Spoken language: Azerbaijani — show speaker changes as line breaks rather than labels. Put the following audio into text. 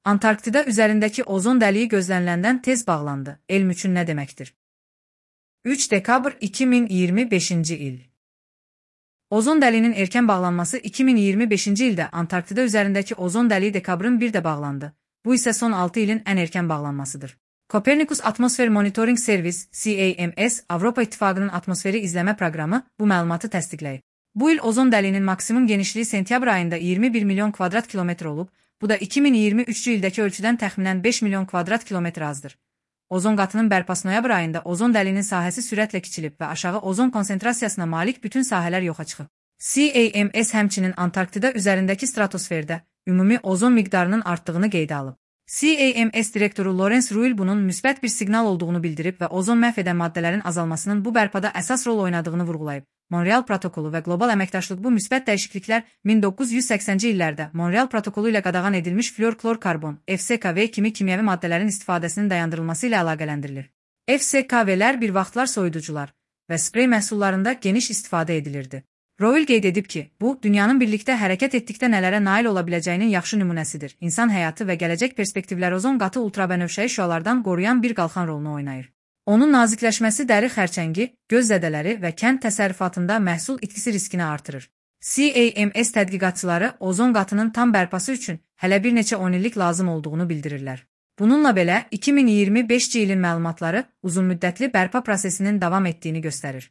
Antarktida üzərindəki ozon dəliyi gözləniləndən tez bağlandı. Elm üçün nə deməkdir? 3 dekabr 2025-ci il. Ozon dəliyinin erkən bağlanması 2025-ci ildə Antarktida üzərindəki ozon dəliyi dekabrın 1-də bağlandı. Bu isə son 6 ilin ən erkən bağlanmasıdır. Copernicus Atmosfer Monitoring Service (CAMS) Avropa İttifaqının atmosferi izləmə proqramı bu məlumatı təsdiqləyib. Bu il ozon dəliyinin maksimum genişliyi sentyabr ayında 21 milyon kvadrat kilometr olub, bu da 2023-cü ildəki ölçüdən təxminən 5 milyon kvadrat kilometr azdır. Ozon qatının bərpası noyabr ayında ozon dəliyinin sahəsi sürətlə kiçilib və aşağı ozon konsentrasiyasına malik bütün sahələr yoxa çıxıb. CAMS həmçinin Antarktida üzərindəki stratosferdə ümumi ozon miqdarının artdığını qeydə alıb. CAMS direktoru Lawrence Ruel bunun müsbət bir siqnal olduğunu bildirib və ozon məhv edən maddələrin azalmasının bu bərpada əsas rol oynadığını vurğulayıb. Monreal protokolu və qlobal əməkdaşlıq bu müsbət dəyişikliklər 1980-ci illərdə Monreal protokolu ilə qadağan edilmiş fluor-klor-karbon (FCKV) kimi kimyəvi maddələrin istifadəsinin dayandırılması ilə əlaqələndirilir. FCKV-lər bir vaxtlar soyuducular və sprey məhsullarında geniş istifadə edilirdi. Roel qeyd edib ki, bu, dünyanın birlikdə hərəkət etdikdə nələrə nail ola biləcəyinin yaxşı nümunəsidir. İnsan həyatı və gələcək perspektivlər ozon qatı ultrabənövşəyi şüalardan qoruyan bir qalxan rolunu oynayır. Onun nazikləşməsi dəri xərçəngi, göz zədələri və kənd təsərrüfatında məhsul itkisi riskini artırır. CAMS tədqiqatçıları ozon qatının tam bərpası üçün hələ bir neçə 10 illik lazım olduğunu bildirirlər. Bununla belə, 2025-ci ilin məlumatları uzunmüddətli bərpa prosesinin davam etdiyini göstərir.